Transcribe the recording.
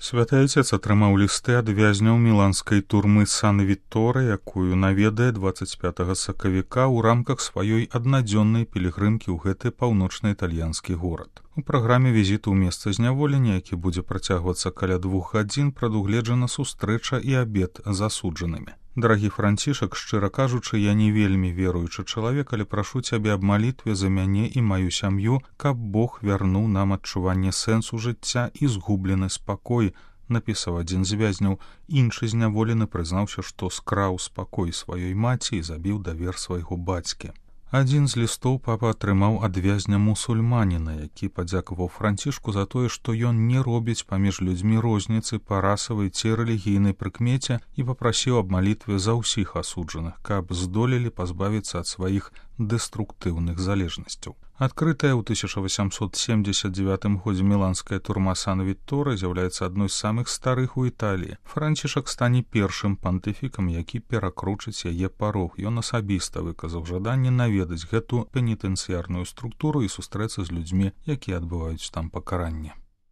Святы Отец атрымаў лісты ад вязняў міланскай турмы Сан-Вітторе, якую наведае 25 сакавіка ў рамках сваёй аднадзённай пілігрымкі ў гэты паўночна-італьянскі горад. У праграме візіту ў месца зняволення, які будзе працягвацца каля 2 гадзін, прадугледжана сустрэча і абед з асуджанымі. Дарагі Францішак, шчыра кажучы, я не вельмі веруючы чалавек, але прашу цябе аб малітве за мяне і маю сям'ю, каб Бог вярнуў нам адчуванне сэнсу жыцця і згублены спакой, напісаў адзін з вязняў. Іншы зняволены прызнаўся, што скраў спакой сваёй маці і забіў давер свайго бацькі. Адзін з лістоў папа атрымаў ад вязня мусульманіна, які падзякаваў Францішку за тое, што ён не робіць паміж людзьмі розніцы па расавай ці рэлігійнай прыкмеце і папрасіў аб малітве за ўсіх асуджаных, каб здолелі пазбавіцца ад сваіх дэструктыўных залежнасцяў. Адкрытая ў 1879 годзе міланская турма Сан-Вітторе з'яўляецца адной з самых старых у Італіі. Францішак стане першым пантыфікам, які перакручыць яе парог. Ён асабіста выказаў жаданне наведаць гэту пенітэнцыярную структуру і сустрэцца з людзьмі, якія адбываюць там пакаранне.